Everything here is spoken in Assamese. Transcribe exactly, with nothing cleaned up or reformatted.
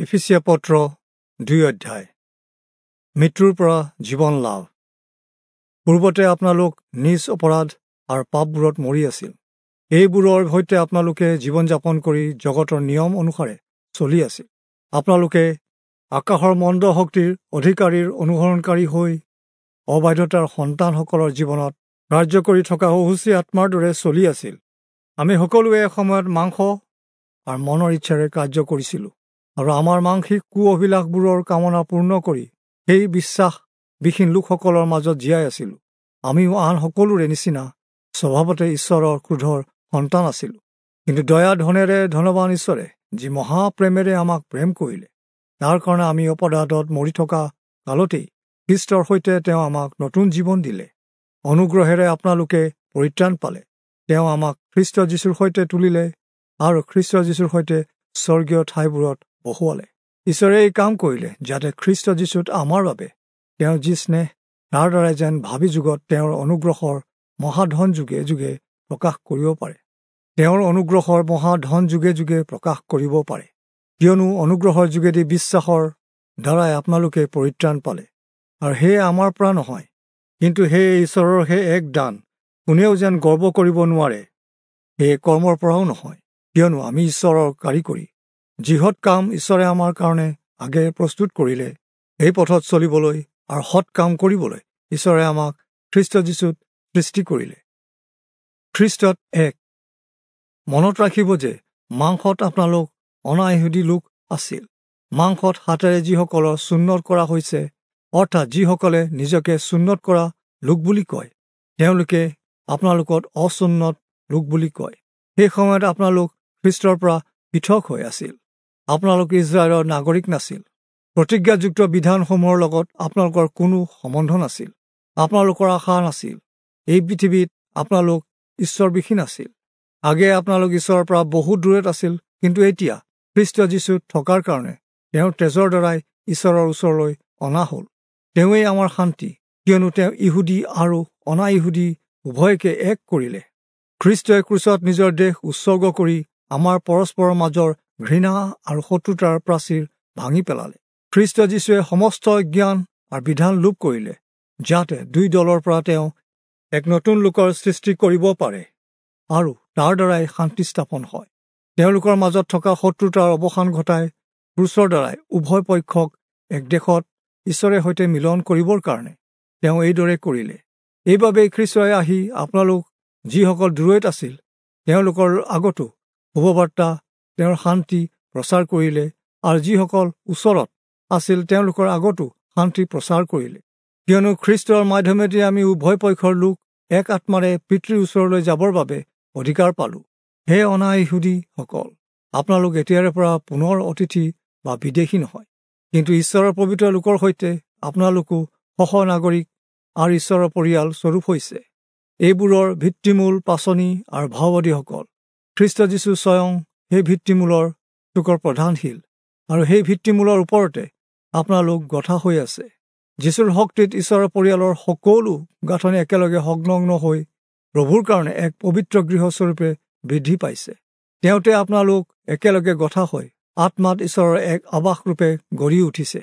এফিচীয়া পত্ৰ দুই অধ্যায়। মৃত্যুৰ পৰা জীৱন লাভ। পূৰ্বতে আপোনালোক নিজ অপৰাধ আৰু পাপবোৰত মৰি আছিল। এইবোৰৰ সৈতে আপোনালোকে জীৱন যাপন কৰি জগতৰ নিয়ম অনুসাৰে চলি আছিল। আপোনালোকে আকাশৰ মন্দ শক্তিৰ অধিকাৰীৰ অনুসৰণকাৰী হৈ অবাধ্যতাৰ সন্তানসকলৰ জীৱনত কাৰ্য কৰি থকা অসুচী আত্মাৰ দৰে চলি আছিল। আমি সকলোৱে এসময়ত মাংস আৰু মনৰ ইচ্ছাৰে কাৰ্য কৰিছিলোঁ আৰু আমাৰ মাংসিক কু অভিলাষবোৰৰ কামনা পূৰ্ণ কৰি সেই বিশ্বাসবিহীন লোকসকলৰ মাজত জীয়াই আছিলোঁ। আমিও আন সকলোৰে নিচিনা স্বভাৱতে ঈশ্বৰৰ ক্ৰোধৰ সন্তান আছিলোঁ। কিন্তু দয়া ধনেৰে ধনৱান ঈশ্বৰে যি মহাপ্ৰেমেৰে আমাক প্ৰেম কৰিলে, তাৰ কাৰণে আমি অপৰাধত মৰি থকা কালতেই খ্ৰীষ্টৰ সৈতে তেওঁ আমাক নতুন জীৱন দিলে। অনুগ্ৰহেৰে আপোনালোকে পৰিত্ৰাণ পালে। তেওঁ আমাক খ্ৰীষ্ট যীশুৰ সৈতে তুলিলে আৰু খ্ৰীষ্ট যীশুৰ সৈতে স্বৰ্গীয় ঠাইবোৰত বহুৱালে। ঈশ্বৰে এই কাম কৰিলে যাতে খ্ৰীষ্ট যীশুত আমাৰ বাবে তেওঁৰ যি স্নেহ, তাৰ দ্বাৰাই যেন ভাবি যুগত তেওঁৰ অনুগ্ৰহৰ মহাধন যুগে যুগে প্ৰকাশ কৰিব পাৰে। তেওঁৰ অনুগ্ৰহৰ মহাধন যুগে যুগে প্ৰকাশ কৰিব পাৰে। কিয়নো অনুগ্ৰহৰ যোগেদি বিশ্বাসৰ দ্বাৰাই আপোনালোকে পৰিত্ৰাণ পালে, আৰু সেয়ে আমাৰ পৰা নহয়, কিন্তু সেয়ে ঈশ্বৰৰ সেই এক দান, কোনেও যেন গৰ্ব কৰিব নোৱাৰে। সেয়ে কৰ্মৰ পৰাও নহয়, কিয়নো আমি ঈশ্বৰৰ কাৰিকৰী। যিহত কাম ঈশ্বৰে আমাৰ কাৰণে আগে প্ৰস্তুত কৰিলে, সেই পথত চলিবলৈ আৰু সৎ কাম কৰিবলৈ ঈশ্বৰে আমাক খ্ৰীষ্ট যীশুত সৃষ্টি কৰিলে। খ্ৰীষ্টত এক। মনত ৰাখিব যে মাংসত আপোনালোক অনাইহুদী লোক আছিল। মাংসত হাতেৰে যিসকলৰ চুন্নত কৰা হৈছে, অৰ্থাৎ যিসকলে নিজকে চুন্নত কৰা লোক বুলি কয়, তেওঁলোকে আপোনালোকত অচুন্নত লোক বুলি কয়। সেই সময়ত আপোনালোক খ্ৰীষ্টৰ পৰা পৃথক হৈ আছিল। আপোনালোক ইজৰাইলৰ নাগৰিক নাছিল। প্ৰতিজ্ঞাযুক্ত বিধানসমূহৰ লগত আপোনালোকৰ কোনো সম্বন্ধ নাছিল। আপোনালোকৰ আশা নাছিল। এই পৃথিৱীত আপোনালোক ঈশ্বৰবিহীন আছিল। আগে আপোনালোক ঈশ্বৰৰ পৰা বহুত দূৰত আছিল, কিন্তু এতিয়া খ্ৰীষ্ট যীশুত থকাৰ কাৰণে তেওঁৰ তেজৰ দ্বাৰাই ঈশ্বৰৰ ওচৰলৈ অনা হ'ল। তেওঁৱেই আমাৰ শান্তি, কিয়নো তেওঁ ইহুদী আৰু অনা ইহুদী উভয়কে এক কৰিলে। খ্ৰীষ্টই ক্ৰুচত নিজৰ দেহ উৎসৰ্গ কৰি আমাৰ পৰস্পৰৰ মাজৰ ঘৃণা আৰু শত্ৰুতাৰ প্ৰাচীৰ ভাঙি পেলালে। খ্ৰীষ্ট যীশুৱে সমস্ত জ্ঞান আৰু বিধান লোপ কৰিলে, যাতে দুই দলৰ পৰা তেওঁ এক নতুন লোকৰ সৃষ্টি কৰিব পাৰে আৰু তাৰ দ্বাৰাই শান্তি স্থাপন হয়। তেওঁলোকৰ মাজত থকা শত্ৰুতাৰ অৱসান ঘটাই ক্ৰুচৰ দ্বাৰাই উভয় পক্ষক এক দেশত ঈশ্বৰে সৈতে মিলন কৰিবৰ কাৰণে তেওঁ এইদৰে কৰিলে। এইবাবেই খ্ৰীষ্টই আহি আপোনালোক যিসকল দূৰৈত আছিল, তেওঁলোকৰ আগতো শুভবাৰ্তা তেওঁৰ শান্তি প্ৰচাৰ কৰিলে, আৰু যিসকল ওচৰত আছিল তেওঁলোকৰ আগতো শান্তি প্ৰচাৰ কৰিলে। কিয়নো খ্ৰীষ্টৰ মাধ্যমেদি আমি উভয় পক্ষৰ লোক এক আত্মাৰে পিতৃৰ ওচৰলৈ যাবৰ বাবে অধিকাৰ পালোঁ। হে অনা ইহুদীসকল, আপোনালোক এতিয়াৰে পৰা পুনৰ অতিথি বা বিদেশী নহয়, কিন্তু ঈশ্বৰৰ পবিত্ৰ লোকৰ সৈতে আপোনালোকো সহ নাগৰিক আৰু ঈশ্বৰৰ পৰিয়াল স্বৰূপ হৈছে। এইবোৰৰ ভিত্তিমূল পাচনি আৰু ভাওবাদীসকল খ্ৰীষ্ট যীশু স্বয়ং সেই ভিত্তিমূলৰ চুকৰ প্ৰধান শিল, আৰু সেই ভিত্তিমূলৰ ওপৰতে আপোনালোক গঠা হৈ আছে। যীশুৰ শক্তিত ঈশ্বৰৰ পৰিয়ালৰ সকলো গাঁথনি একেলগে সংলগ্ন হৈ প্ৰভুৰ কাৰণে এক পবিত্ৰ গৃহস্বৰূপে বৃদ্ধি পাইছে। তেওঁতে আপোনালোক একেলগে গঠা হৈ আত্মাত ঈশ্বৰৰ এক আৱাসৰূপে গঢ়ি উঠিছে।